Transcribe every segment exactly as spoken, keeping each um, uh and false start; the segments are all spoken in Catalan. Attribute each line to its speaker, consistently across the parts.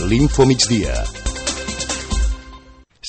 Speaker 1: l'Info Migdia.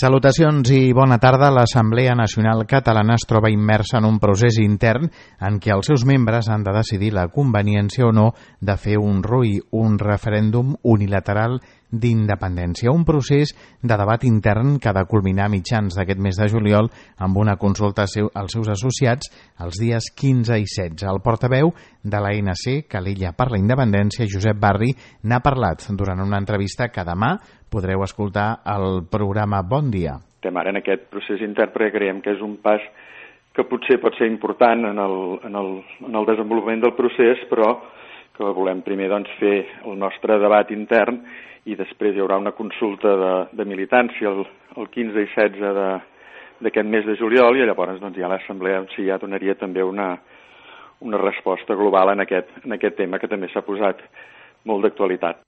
Speaker 2: Salutacions i bona tarda. L'Assemblea Nacional Catalana es troba immersa en un procés intern en què els seus membres han de decidir la conveniència o no de fer un R U I, un referèndum unilateral d'independència. Un procés de debat intern que ha de culminar a mitjans d'aquest mes de juliol amb una consulta als seus associats els dies quinze i setze. El portaveu de l'A N C, Calella per la Independència, Josep Barri, n'ha parlat durant una entrevista que demà podreu escoltar al programa Bon Dia.
Speaker 3: Estem ara en aquest procés intern perquè creiem que és un pas que potser pot ser important en el, en el, en el desenvolupament del procés, però que volem primer doncs, fer el nostre debat intern i després hi haurà una consulta de, de militància el, el quinze i setze d'aquest mes de juliol i llavors doncs, ja l'Assemblea sí, ja donaria també una, una resposta global en aquest, en aquest tema que també s'ha posat molt d'actualitat.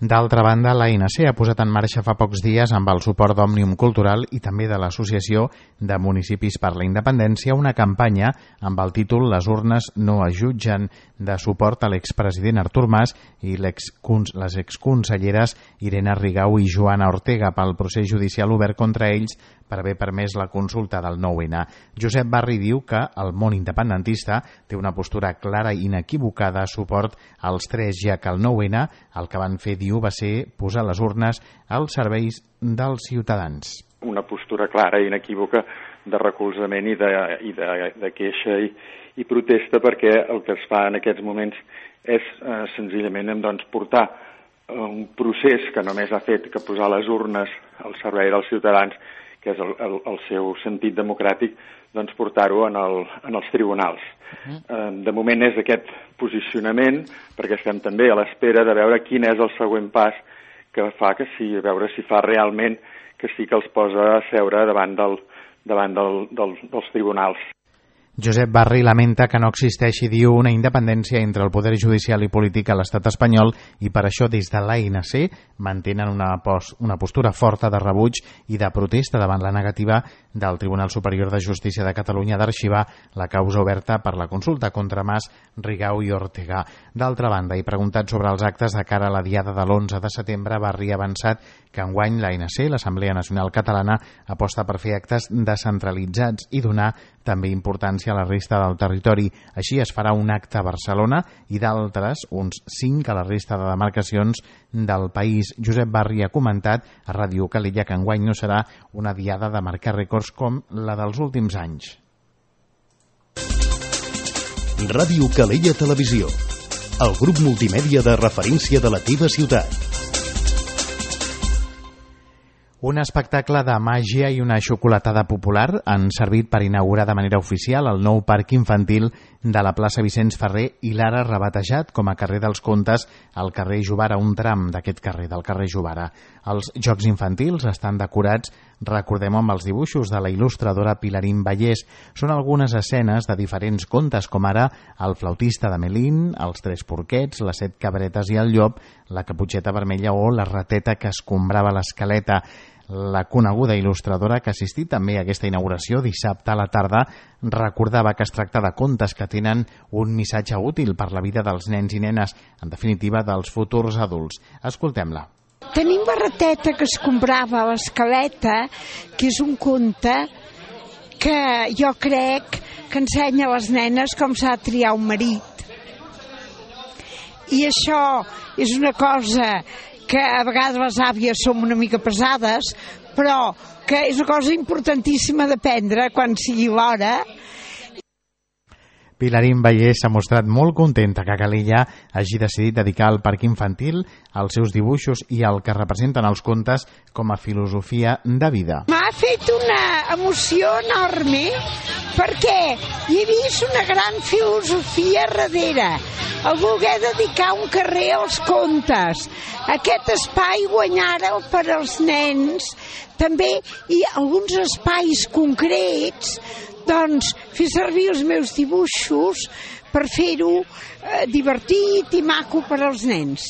Speaker 2: D'altra banda, l'A N C ha posat en marxa fa pocs dies, amb el suport d'Òmnium Cultural i també de l'Associació de Municipis per la Independència, una campanya amb el títol Les urnes no es jutgen, de suport a l'expresident Artur Mas i les exconselleres Irene Rigau i Joana Ortega pel procés judicial obert contra ells per haver permès la consulta del nou ene. Josep Barri diu que el món independentista té una postura clara i inequivocada a suport als tres, ja que el nou ene el que van fer, diu, va ser posar les urnes als serveis dels ciutadans.
Speaker 3: Una postura clara i inequívoca de recolzament i de, i de, de queixa i, i protesta, perquè el que es fa en aquests moments és eh, senzillament doncs, portar eh, un procés que només ha fet que posar les urnes al servei dels ciutadans, que és el, el, el seu sentit democràtic, doncs portar-ho en, el, en els tribunals. Uh-huh. Eh, de moment és aquest posicionament, perquè estem també a l'espera de veure quin és el següent pas que fa que sí, a veure si fa realment que sí que els posa a seure davant, del, davant del, del, dels tribunals.
Speaker 2: Josep Barri lamenta que no existeixi, diu, una independència entre el poder judicial i polític a l'estat espanyol i per això des de l'A N C mantenen una, pos, una postura forta de rebuig i de protesta davant la negativa del Tribunal Superior de Justícia de Catalunya d'arxivar la causa oberta per la consulta contra Mas, Rigau i Ortega. D'altra banda, i preguntat sobre els actes de cara a la diada de l'onze de setembre, Barri ha avançat que enguany l'A N C, l'Assemblea Nacional Catalana, aposta per fer actes descentralitzats i donar també importància a la resta del territori. Així es farà un acte a Barcelona i d'altres, uns cinc a la resta de demarcacions del país. Josep Barri ha comentat a Ràdio Calella que enguany no serà una diada de marcar rècords com la dels últims anys.
Speaker 1: Ràdio Calella Televisió, el grup multimèdia de referència de la teva ciutat.
Speaker 2: Un espectacle de màgia i una xocolatada popular han servit per inaugurar de manera oficial el nou parc infantil de la plaça Vicenç Ferrer i l'ara rebatejat com a carrer dels Contes al carrer Jovara, un tram d'aquest carrer, del carrer Jovara. Els jocs infantils estan decorats, recordem, amb els dibuixos de la il·lustradora Pilarín Vallès. Són algunes escenes de diferents contes, com ara El flautista de Melín, Els tres porquets, Les set cabretes i el llop, La caputxeta vermella o La rateta que escombrava l'escaleta. La coneguda il·lustradora que ha assistit també a aquesta inauguració dissabte a la tarda recordava que es tracta de contes que tenen un missatge útil per la vida dels nens i nenes, en definitiva dels futurs adults. Escoltem-la.
Speaker 4: Tenim La rateta que escombrava l'escaleta, que és un conte que jo crec que ensenya a les nenes com s'ha de triar un marit. I això és una cosa que a vegades les àvies som una mica pesades, però que és una cosa importantíssima d'aprendre quan sigui l'hora.
Speaker 2: Pilarín Vallès s'ha mostrat molt contenta que Calella hagi decidit dedicar al parc infantil als seus dibuixos i al que representen els contes com a filosofia de vida.
Speaker 4: M'ha fet una emoció enorme perquè hi he vist una gran filosofia darrere. El voler dedicar un carrer als contes, aquest espai guanyar-el per als nens, també i alguns espais concrets, doncs fer servir els meus dibuixos per fer-ho eh, divertit i maco per als nens.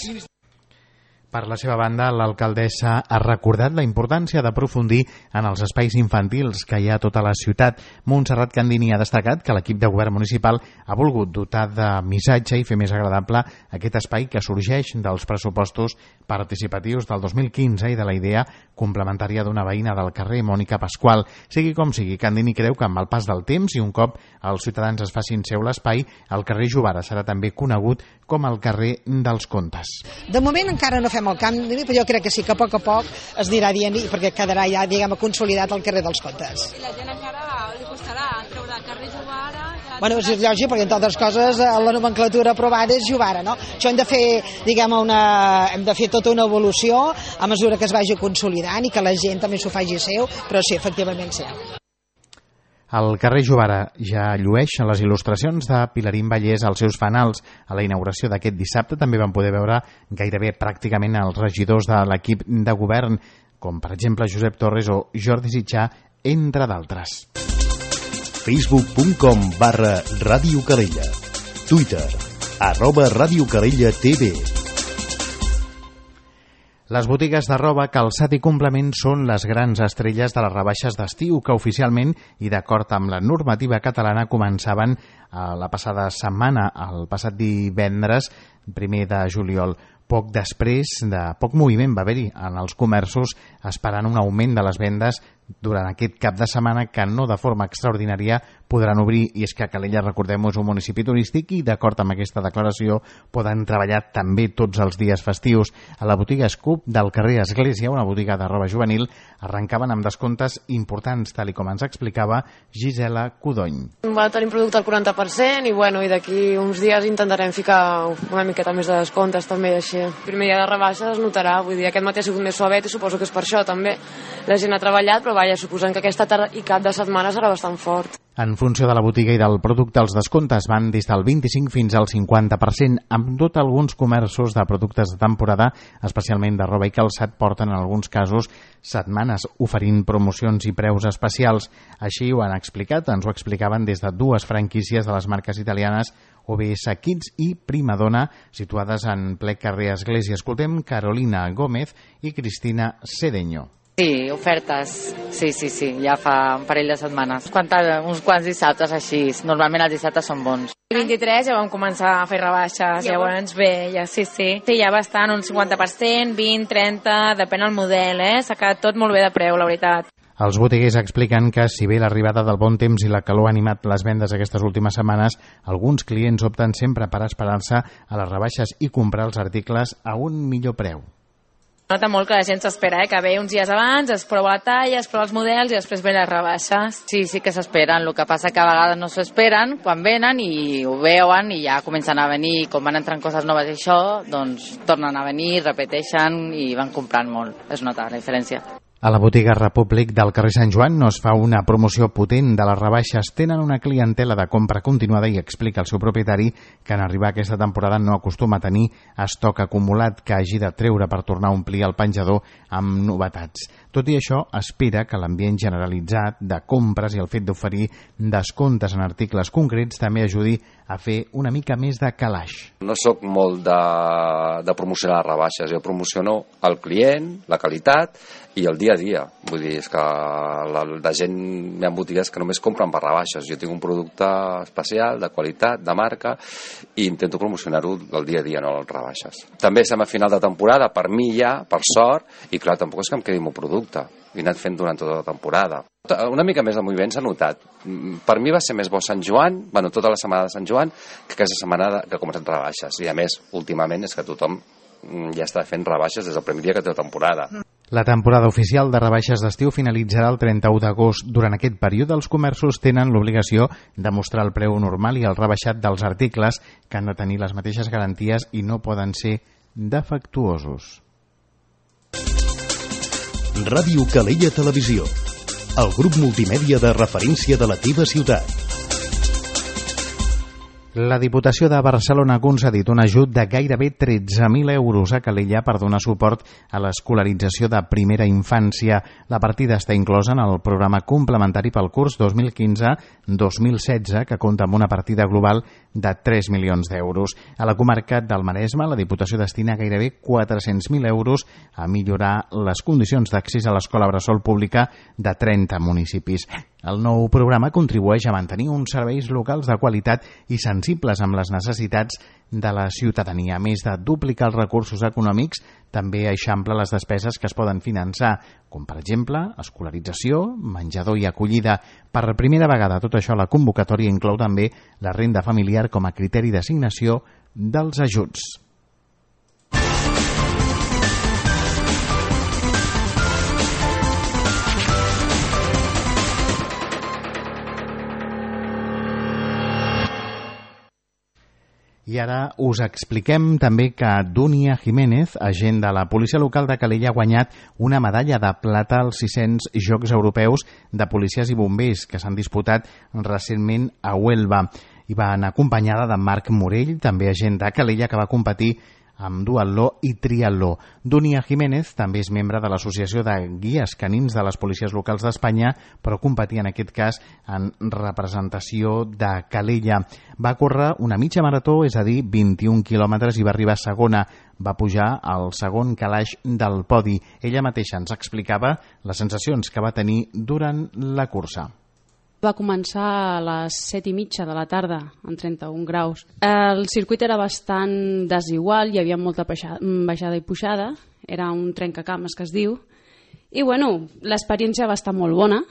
Speaker 2: Per la seva banda, l'alcaldessa ha recordat la importància d'aprofundir en els espais infantils que hi ha a tota la ciutat. Montserrat Candini ha destacat que l'equip de govern municipal ha volgut dotar de missatge i fer més agradable aquest espai que sorgeix dels pressupostos participatius del dos mil quinze i de la idea complementària d'una veïna del carrer, Mònica Pasqual. Sigui com sigui, Candini creu que amb el pas del temps i un cop els ciutadans es facin seu l'espai, el carrer Jovara serà també conegut com el carrer dels Contes.
Speaker 5: De moment encara no fem el canvi, però jo crec que sí, que a poc a poc es anirà dient i perquè quedarà ja, diguem, consolidat el carrer dels Contes.
Speaker 6: I la gent encara li costarà treure el carrer Jovara...
Speaker 5: Bueno, és lògic, perquè entre altres coses la nomenclatura aprovada és Jovara, no? Això hem de fer, diguem, una, hem de fer tota una evolució a mesura que es vagi consolidant i que la gent també s'ho faci seu, però sí, efectivament sí.
Speaker 2: El carrer Jovara ja llueix les il·lustracions de Pilarín Vallès als seus fanals. A la inauguració d'aquest dissabte també van poder veure gairebé pràcticament els regidors de l'equip de govern, com per exemple Josep Torres o Jordi Sitjà, entre d'altres.
Speaker 1: facebook punt com barra Ràdio Calella. Twitter, arroba Ràdio Calella T V.
Speaker 2: Les botigues de roba, calçat i complement són les grans estrelles de les rebaixes d'estiu que oficialment i d'acord amb la normativa catalana començaven la passada setmana, el passat divendres, primer de juliol. Poc després de poc moviment va haver-hi en els comerços esperant un augment de les vendes durant aquest cap de setmana que no de forma extraordinària podran obrir, i és que Calella, recordem, és un municipi turístic i d'acord amb aquesta declaració poden treballar també tots els dies festius. A la botiga Scoop del carrer Església, una botiga de roba juvenil, arrencaven amb descomptes importants, tal i com ens explicava Gisela Codony.
Speaker 7: Va tenir producte al quaranta per cent i, bueno, i d'aquí uns dies intentarem ficar una miqueta més de descomptes també, així. El primer dia de rebaixa es notarà, vull dir, aquest matí ha sigut més suavet i suposo que és per això també. La gent ha treballat, però vaja, suposant que aquesta tarda i cap de setmana serà bastant fort.
Speaker 2: En funció de la botiga i del producte, els descomptes van des del vint-i-cinc fins al cinquanta per cent. Amb tot, alguns comerços de productes de temporada, especialment de roba i calçat, porten en alguns casos setmanes oferint promocions i preus especials. Així ho han explicat, ens ho explicaven des de dues franquícies de les marques italianes O B S Kids i Primadonna, situades en ple carrer Església. Escoltem Carolina Gómez i Cristina Cedeño.
Speaker 8: Sí, ofertes, sí, sí, sí, ja fa un parell de setmanes. Quanta, uns quants dissabtes així, normalment els dissabtes són bons.
Speaker 6: El vint-i-tres ja vam començar a fer rebaixes, ja llavors bé, ja sí, sí. Sí, ja bastant, un cinquanta per cent, vint, trenta, depèn del model, eh? S'ha quedat tot molt bé de preu, la veritat.
Speaker 2: Els botiguers expliquen que, si bé l'arribada del bon temps i la calor ha animat les vendes aquestes últimes setmanes, alguns clients opten sempre per esperar-se a les rebaixes i comprar els articles a un millor preu.
Speaker 6: Nota molt que la gent s'espera, eh? Que ve uns dies abans, es prova la talla, es prova els models i després ve les rebaixes.
Speaker 8: Sí, sí que s'esperen, el que passa que a vegades no s'esperen quan venen i ho veuen i ja comencen a venir, com van entrant coses noves i això, doncs tornen a venir, repeteixen i van comprant molt. Es nota la diferència.
Speaker 2: A la botiga Repúblic del carrer Sant Joan no es fa una promoció potent de les rebaixes. Tenen una clientela de compra continuada i explica el seu propietari que en arribar aquesta temporada no acostuma a tenir estoc acumulat que hagi de treure per tornar a omplir el penjador amb novetats. Tot i això, espera que l'ambient generalitzat de compres i el fet d'oferir descomptes en articles concrets també ajudi a fer una mica més de calaix.
Speaker 9: No sóc molt de, de promocionar les rebaixes, jo promociono el client, la qualitat i el dia a dia. Vull dir, és que la, la gent, hi ha botigues que només compren per rebaixes. Jo tinc un producte especial, de qualitat, de marca, i intento promocionar-ho el dia a dia, no les rebaixes. També estem a final de temporada, per mi ja, per sort, i clar, tampoc és que em quedi el meu producte. He anat fent durant tota la temporada. Una mica més de moviment s'ha notat. Per mi va ser més bo Sant Joan, bueno, tota la setmana de Sant Joan, que aquesta setmana que comencen rebaixes. I a més, últimament, és que tothom ja està fent rebaixes des del primer dia que té la temporada.
Speaker 2: La temporada oficial de rebaixes d'estiu finalitzarà el trenta-u d'agost. Durant aquest període, els comerços tenen l'obligació de mostrar el preu normal i el rebaixat dels articles, que han de tenir les mateixes garanties i no poden ser defectuosos.
Speaker 1: Ràdio Calella Televisió, el grup multimèdia de referència de la teva ciutat.
Speaker 2: La Diputació de Barcelona ha concedit un ajut de gairebé tretze mil euros a Calella per donar suport a l'escolarització de primera infància. La partida està inclosa en el programa complementari pel curs dos mil quinze dos mil setze, que compta amb una partida global de tres milions d'euros. A la comarca del Maresme, la Diputació destina gairebé quatre-cents mil euros a millorar les condicions d'accés a l'escola bressol pública de trenta municipis. El nou programa contribueix a mantenir uns serveis locals de qualitat i sensibles amb les necessitats de la ciutadania. A més de duplicar els recursos econòmics, també eixampla les despeses que es poden finançar, com per exemple escolarització, menjador i acollida. Per primera vegada tot això, la convocatòria inclou també la renda familiar com a criteri d'assignació dels ajuts. I ara us expliquem també que Dúnia Jiménez, agent de la policia local de Calella, ha guanyat una medalla de plata als sis-cents Jocs Europeus de Policies i Bombers que s'han disputat recentment a Huelva. I va anar acompanyada de Marc Morell, també agent de Calella, que va competir amb duatló i triatló. Dúnia Jiménez també és membre de l'Associació de Guies Canins de les Policies Locals d'Espanya, però competia en aquest cas en representació de Calella. Va córrer una mitja marató, és a dir, vint-i-un quilòmetres, i va arribar segona. Va pujar al segon calaix del podi. Ella mateixa ens explicava les sensacions que va tenir durant la cursa.
Speaker 10: Va començar a les set i mitja de la tarda, en trenta-un graus. El circuit era bastant desigual, hi havia molta baixada i pujada, era un trencacames que es diu, i bueno, l'experiència va estar molt bona,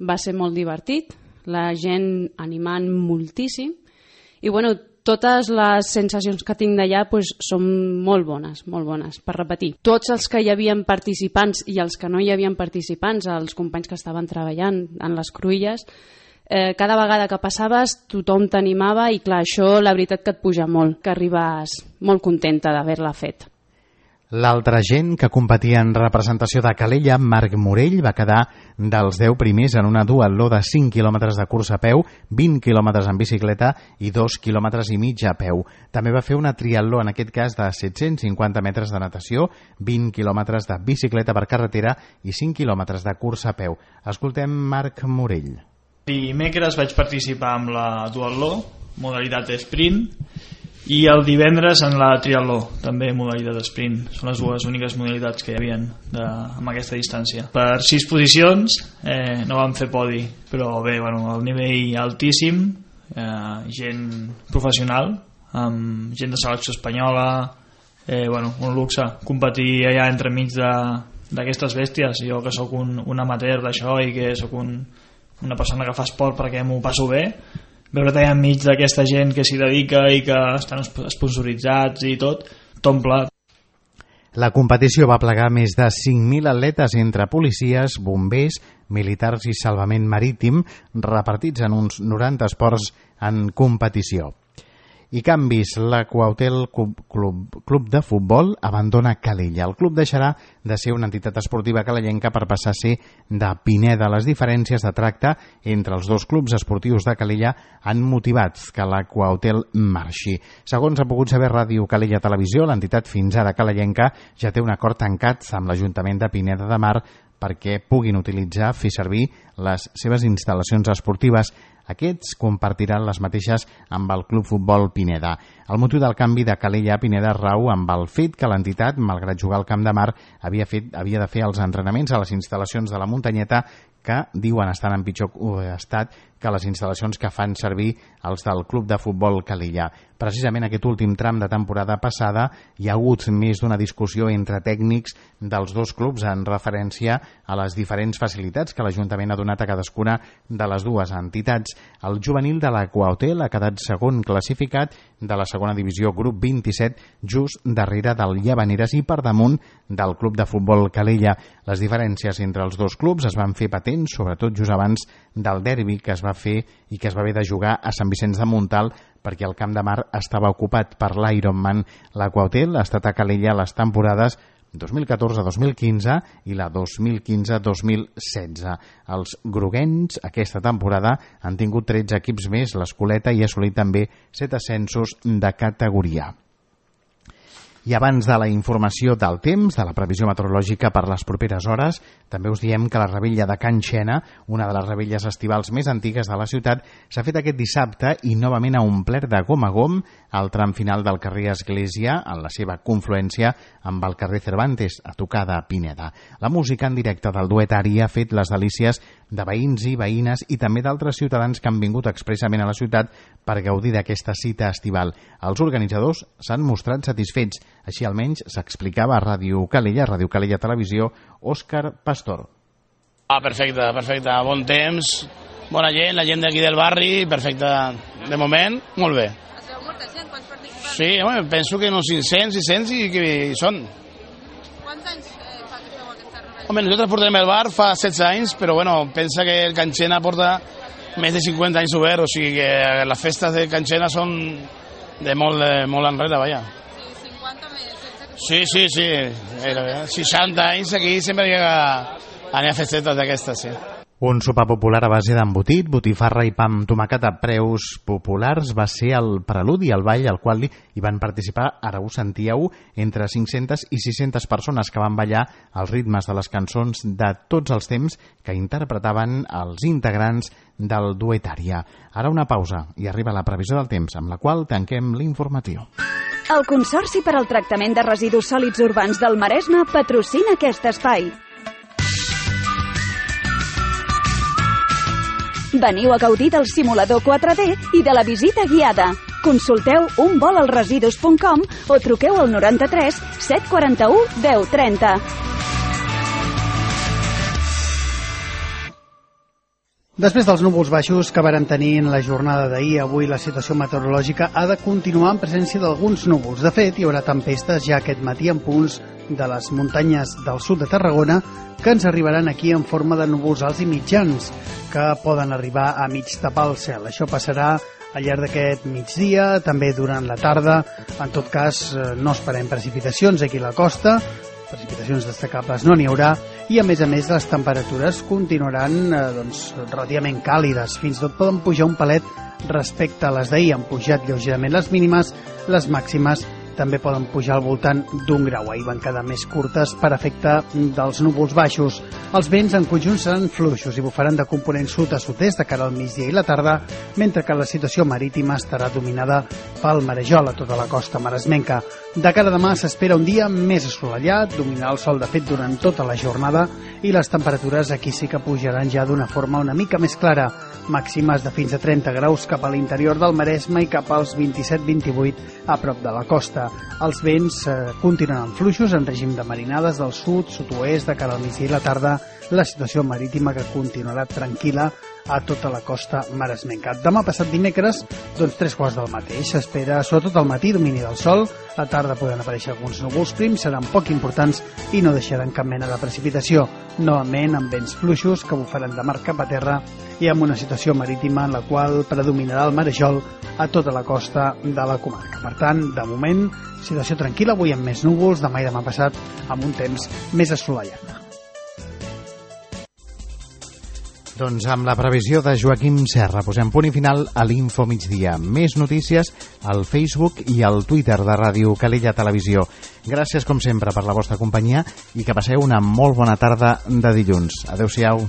Speaker 10: va ser molt divertit, la gent animant moltíssim, i bueno, totes les sensacions que tinc d'allà pues, són molt bones, molt bones, per repetir. Tots els que hi havien participants i els que no hi havien participants, els companys que estaven treballant en les cruïlles, eh, cada vegada que passaves tothom t'animava i clar, això la veritat que et puja molt, que arribes molt contenta d'haver-la fet.
Speaker 2: L'altre gent que competia en representació de Calella, Marc Morell, va quedar dels deu primers en una duatló de cinc quilòmetres de cursa a peu, vint quilòmetres en bicicleta i dos quilòmetres i mig a peu. També va fer una triatló, en aquest cas de set-cents cinquanta metres de natació, vint quilòmetres de bicicleta per carretera i cinc quilòmetres de cursa a peu. Escoltem Marc Morell.
Speaker 11: Dimecres vaig participar amb la duatló, modalitat sprint, i el divendres en la triatló, també modalitat sprint. Són les dues úniques modalitats que hi havia de, amb aquesta distància. Per sis posicions eh, no vam fer podi, però bé, bueno, el nivell altíssim, eh, gent professional, amb gent de selecció espanyola, eh, bueno, un luxe competir allà entremig d'aquestes bèsties. Jo que sóc un, un amateur d'això i que sóc un, una persona que fa esport perquè m'ho passo bé, veure't allà enmig d'aquesta gent que s'hi dedica i que estan sponsoritzats i tot, t'omple.
Speaker 2: La competició va plegar més de cinc mil atletes entre policies, bombers, militars i salvament marítim, repartits en uns noranta esports en competició. I canvis, l'Aquautel Club, Club, Club de Futbol abandona Calella. El club deixarà de ser una entitat esportiva calellenca per passar a ser de Pineda. Les diferències de tracte entre els dos clubs esportius de Calella han motivat que l'Aquautel marxi. Segons ha pogut saber Ràdio Calella Televisió, l'entitat fins ara calellenca ja té un acord tancat amb l'Ajuntament de Pineda de Mar perquè puguin utilitzar, fer servir les seves instal·lacions esportives. Aquests compartiran les mateixes amb el Club Futbol Pineda. El motiu del canvi de Calella a Pineda rau amb el fet que l'entitat, malgrat jugar al Camp de Mar, havia, fet, havia de fer els entrenaments a les instal·lacions de la Muntanyeta que diuen estan en pitjor estat que les instal·lacions que fan servir els del Club de Futbol Calella. Precisament aquest últim tram de temporada passada hi ha hagut més d'una discussió entre tècnics dels dos clubs en referència a les diferents facilitats que l'Ajuntament ha donat a cadascuna de les dues entitats. El juvenil de l'Aquautel ha quedat segon classificat de la segona divisió grup vint-i-set, just darrere del Llavaneres i per damunt del Club de Futbol Calella. Les diferències entre els dos clubs es van fer patents, sobretot just abans del derbi que es va fer i que es va haver de jugar a Sant Vicenç de Montalt perquè el Camp de Mar estava ocupat per l'Ironman. L'Aquautel ha estat a Calella les temporades dos mil catorze dos mil quinze i la dos mil quinze dos mil setze. Els groguencs aquesta temporada han tingut tretze equips més, l'Escoleta, i ha assolit també set ascensos de categoria. I abans de la informació del temps, de la previsió meteorològica per les properes hores, també us diem que la rebella de Can Xena, una de les rebelles estivals més antigues de la ciutat, s'ha fet aquest dissabte i novament ha omplert de gom a gom al tram final del carrer Església, en la seva confluència amb el carrer Cervantes, a tocar de Pineda. La música en directe del duet Ari ha fet les delícies de veïns i veïnes i també d'altres ciutadans que han vingut expressament a la ciutat per gaudir d'aquesta cita estival. Els organitzadors s'han mostrat satisfets. Així almenys s'explicava a Ràdio Calella, Ràdio Calella Televisió, Òscar Pastor.
Speaker 12: Ah, perfecte, perfecte. Bon temps, bona gent, la gent d'aquí del barri, perfecte. De moment, molt bé.
Speaker 13: Es veu molta gent, quants participants?
Speaker 12: Sí, home, penso que uns cinc-cents, sis-cents i que hi són.
Speaker 13: Quants anys eh, fa que feu aquesta rebella?
Speaker 12: Home, nosaltres portem el bar fa setze anys, però bueno, pensa que el Can Xena porta més de cinquanta anys obert, o sigui que les festes de Can Xena són de molt, de molt enrere, vaja. Sí, sí, sí, seixanta anys aquí sempre hi ha anar a festetes d'aquestes, sí.
Speaker 2: Un sopar popular a base d'embotit, botifarra i pa amb tomàquet a preus populars va ser el preludi al ball al qual hi van participar, ara ho sentíeu, entre cinc-centes i sis-centes persones que van ballar els ritmes de les cançons de tots els temps que interpretaven els integrants del duet Ària. Ara una pausa i arriba la previsió del temps, amb la qual tanquem l'informatiu.
Speaker 14: El Consorci per al Tractament de Residus Sòlids Urbans del Maresme patrocina aquest espai. Veniu a gaudir del simulador quatre D i de la visita guiada. Consulteu un vol als residus punt com o truqueu al noranta-tres set quaranta-u deu trenta.
Speaker 15: Després dels núvols baixos que varen tenir en la jornada d'ahir, avui la situació meteorològica ha de continuar en presència d'alguns núvols. De fet, hi haurà tempestes ja aquest matí en punts de les muntanyes del sud de Tarragona que ens arribaran aquí en forma de núvols alts i mitjans que poden arribar a mig tapar el cel. Això passarà al llarg d'aquest migdia, també durant la tarda. En tot cas, no esperem precipitacions aquí a la costa, precipitacions destacables no n'hi haurà, i a més a més les temperatures continuaran eh, doncs, relativament càlides, fins i tot poden pujar un palet respecte a les d'ahir. Han pujat lleugerament les mínimes, les màximes també poden pujar al voltant d'un grau. Ahir van quedar més curtes per efecte dels núvols baixos. Els vents en conjunt seran fluixos i bufaran de component sud a sud-est de cara al migdia i la tarda, mentre que la situació marítima estarà dominada pel marejol a tota la costa maresmenca. De cara a demà s'espera un dia més assolellat, dominarà el sol de fet durant tota la jornada i les temperatures aquí sí que pujaran ja d'una forma una mica més clara, màximes de fins a trenta graus cap a l'interior del Maresme i cap als vint-i-set vint-i-vuit a prop de la costa. Els vents eh, continuaran fluixos en règim de marinades del sud, sud-oest, de cara al migdia i la tarda, la situació marítima que continuarà tranquil·la a tota la costa maresmenca. Demà passat dimecres, doncs tres quarts del mateix. S'espera, sobretot al matí, domini del sol. A la tarda poden aparèixer alguns núvols prims, seran poc importants i no deixaran cap mena de precipitació. Novament amb vents fluixos que bufaran de mar cap a terra i amb una situació marítima en la qual predominarà el marejol a tota la costa de la comarca. Per tant, de moment, situació tranquil·la, avui amb més núvols, demà i demà passat amb un temps més assolellat.
Speaker 2: Doncs amb la previsió de Joaquim Serra posem punt i final a l'Info Migdia. Més notícies al Facebook i al Twitter de Ràdio Calella Televisió. Gràcies, com sempre, per la vostra companyia i que passeu una molt bona tarda de dilluns. Adéu-siau.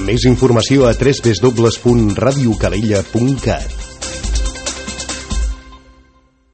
Speaker 1: Més informació a w w w punt radiocalella punt cat.